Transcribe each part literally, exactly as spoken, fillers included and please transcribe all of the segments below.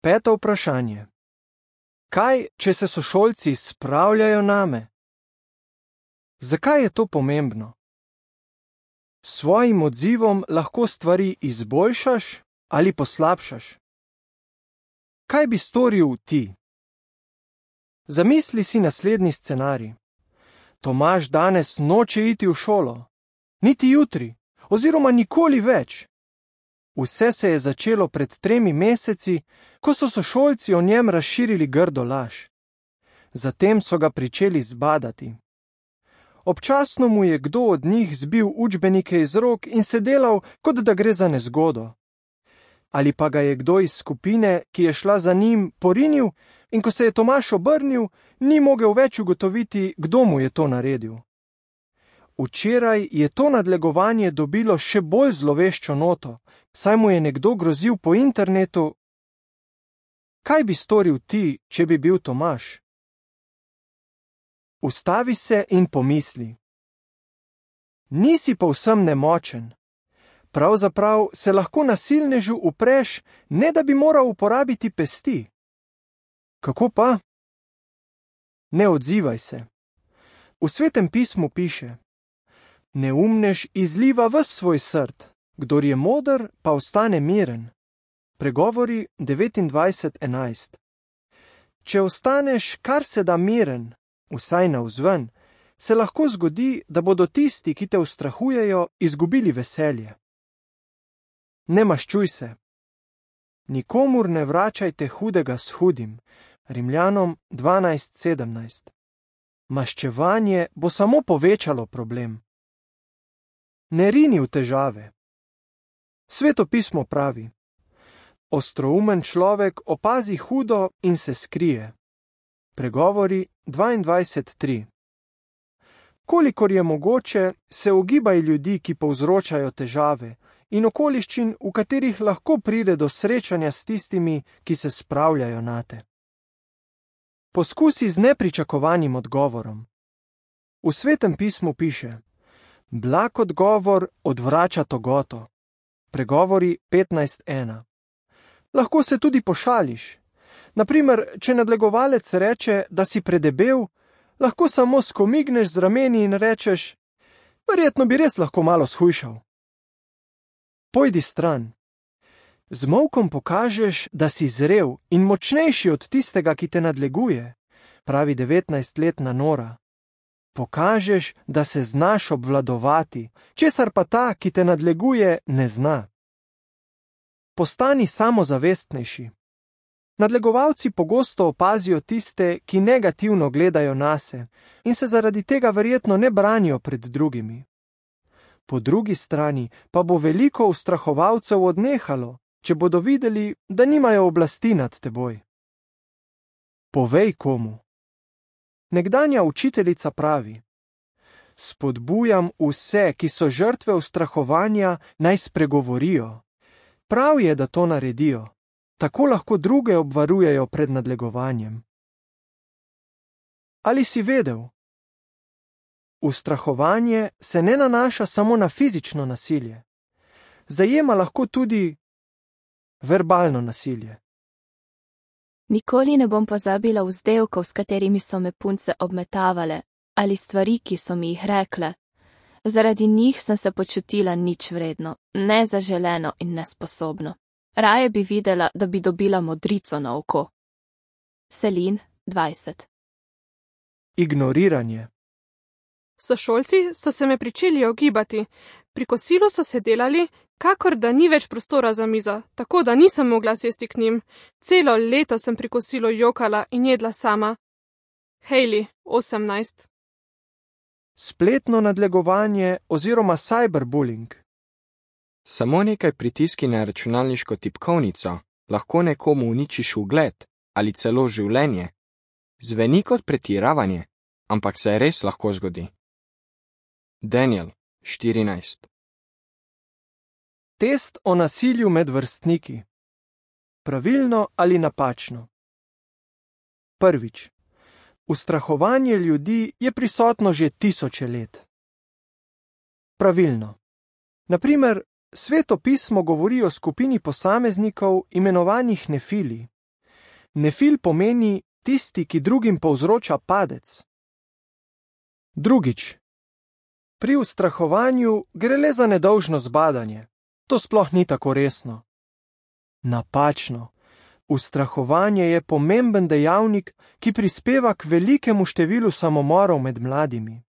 Peto vprašanje. Kaj, če se sošolci spravljajo name? Zakaj je to pomembno? S svojim odzivom lahko stvari izboljšaš ali poslabšaš. Kaj bi storil ti? Zamisli si naslednji scenarij. Tomaž danes noče iti v šolo, niti jutri, oziroma nikoli več. Vse se je začelo pred tremi meseci, ko so sošolci o njem razširili grdo laž. Zatem so ga pričeli zbadati. Občasno mu je kdo od njih zbil učbenike iz rok in se delal, kot da gre za nezgodo. Ali pa ga je kdo iz skupine, ki je šla za njim, porinil in ko se je Tomaž obrnil, ni mogel več ugotoviti, kdo mu je to naredil. Včeraj je to nadlegovanje dobilo še bolj zloveščo noto, saj mu je nekdo grozil po internetu. Kaj bi storil ti, če bi bil Tomaž? Ustavi se in pomisli. Nisi povsem nemočen. Pravzaprav se lahko nasilnežu upreš, ne da bi moral uporabiti pesti. Kako pa? Ne odzivaj se. V Svetem pismu piše: Neumnež izliva ves svoj srd, kdor je moder, pa ostane miren. Pregovori devetindvajset enajst. Če ostaneš kar se da miren, vsaj navzven, se lahko zgodi, da bodo tisti, ki te ustrahujejo, izgubili veselje. Ne maščuj se. Nikomur ne vračajte hudega s hudim. Rimljanom dvanajst sedemnajst. Maščevanje bo samo povečalo problem. Ne rini v težave. Sveto pismo pravi: Ostroumen človek opazi hudo in se skrije. Pregovori dvaindvajset tri. Kolikor je mogoče, se ogibaj ljudi, ki povzročajo težave, in okoliščin, v katerih lahko pride do srečanja s tistimi, ki se spravljajo nate. Poskusi z nepričakovanim odgovorom. V Svetem pismu piše: Blag odgovor odvrača togoto. Pregovori petnajst ena. Lahko se tudi pošališ. Naprimer, če nadlegovalec reče, da si predebel, lahko samo skomigneš z rameni in rečeš: Verjetno bi res lahko malo shujšal. Pojdi stran. Z molkom pokažeš, da si zrel in močnejši od tistega, ki te nadleguje, pravi devetnajstletna Nora. Pokažeš, da se znaš obvladovati, česar pa ta, ki te nadleguje, ne zna. Postani samozavestnejši. Nadlegovalci pogosto opazijo tiste, ki negativno gledajo nase in se zaradi tega verjetno ne branijo pred drugimi. Po drugi strani pa bo veliko ustrahovalcev odnehalo, če bodo videli, da nimajo oblasti nad teboj. Povej komu. Nekdanja učiteljica pravi: Spodbujam vse, ki so žrtve ustrahovanja, naj spregovorijo. Prav je, da to naredijo. Tako lahko druge obvarujejo pred nadlegovanjem. Ali si vedel? Ustrahovanje se ne nanaša samo na fizično nasilje. Zajema lahko tudi verbalno nasilje. Nikoli ne bom pozabila vzdevkov, s katerimi so me punce obmetavale, ali stvari, ki so mi jih rekle. Zaradi njih sem se počutila nič vredno, nezaželeno in nesposobno. Raje bi videla, da bi dobila modrico na oko. Selin dvajset. Ignoriranje. Sošolci so se me pričeli ogibati. Pri kosilu so se delali, kakor da ni več prostora za mizo, tako da nisem mogla sesti k njim. Celo leto sem pri kosilu jokala in jedla sama. Hailey, osemnajst. Spletno nadlegovanje oziroma cyberbullying. Samo nekaj pritiski na računalniško tipkovnico lahko nekomu uničiš ugled ali celo življenje. Zveni kot pretiravanje, ampak se res lahko zgodi. Daniel, štirinajst. Test o nasilju med vrstniki. Pravilno ali napačno? Prvič. Ustrahovanje ljudi je prisotno že tisoče let. Pravilno. Naprimer, Sveto pismo govori o skupini posameznikov imenovanih nefili. Nefil pomeni tisti, ki drugim povzroča padec. Drugič. Pri ustrahovanju gre le za nedolžno zbadanje. To sploh ni tako resno. Napačno. Ustrahovanje je pomemben dejavnik, ki prispeva k velikemu številu samomorov med mladimi.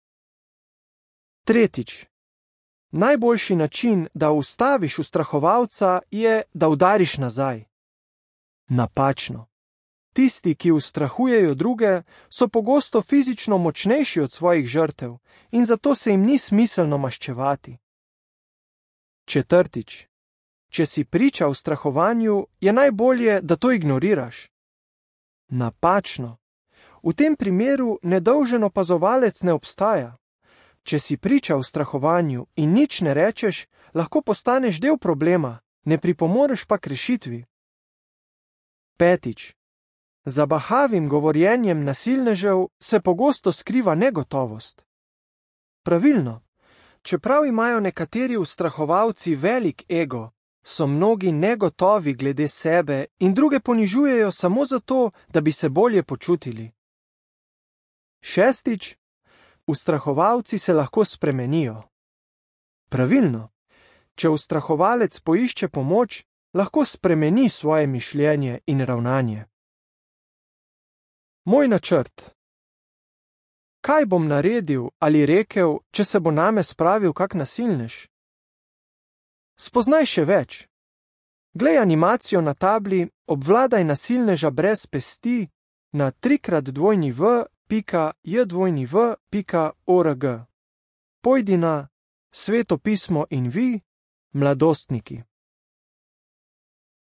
Tretjič. Najboljši način, da ustaviš ustrahovalca, je, da udariš nazaj. Napačno. Tisti, ki ustrahujejo druge, so pogosto fizično močnejši od svojih žrtev in zato se jim ni smiselno maščevati. Četrtič. Če si priča ustrahovanju, je najbolje, da to ignoriraš. Napačno. V tem primeru nedolžen opazovalec ne obstaja. Če si priča ustrahovanju in nič ne rečeš, lahko postaneš del problema, ne pripomoreš pa k rešitvi. Petič. Za bahavim govorjenjem nasilnežev se pogosto skriva negotovost. Pravilno. Čeprav imajo nekateri ustrahovalci velik ego, so mnogi negotovi glede sebe in druge ponižujejo samo zato, da bi se bolje počutili. Šestič. Ustrahovalci se lahko spremenijo. Pravilno. Če ustrahovalec poišče pomoč, lahko spremeni svoje mišljenje in ravnanje. Moj načrt. Kaj bom naredil ali rekel, če se bo name spravil kak nasilnež? Spoznaj še več. Glej animacijo na tabli, obvladaj nasilneža brez pesti na trikrat dvojni v pika j dvojni v pika org. Pojdi na Sveto pismo in vi, mladostniki.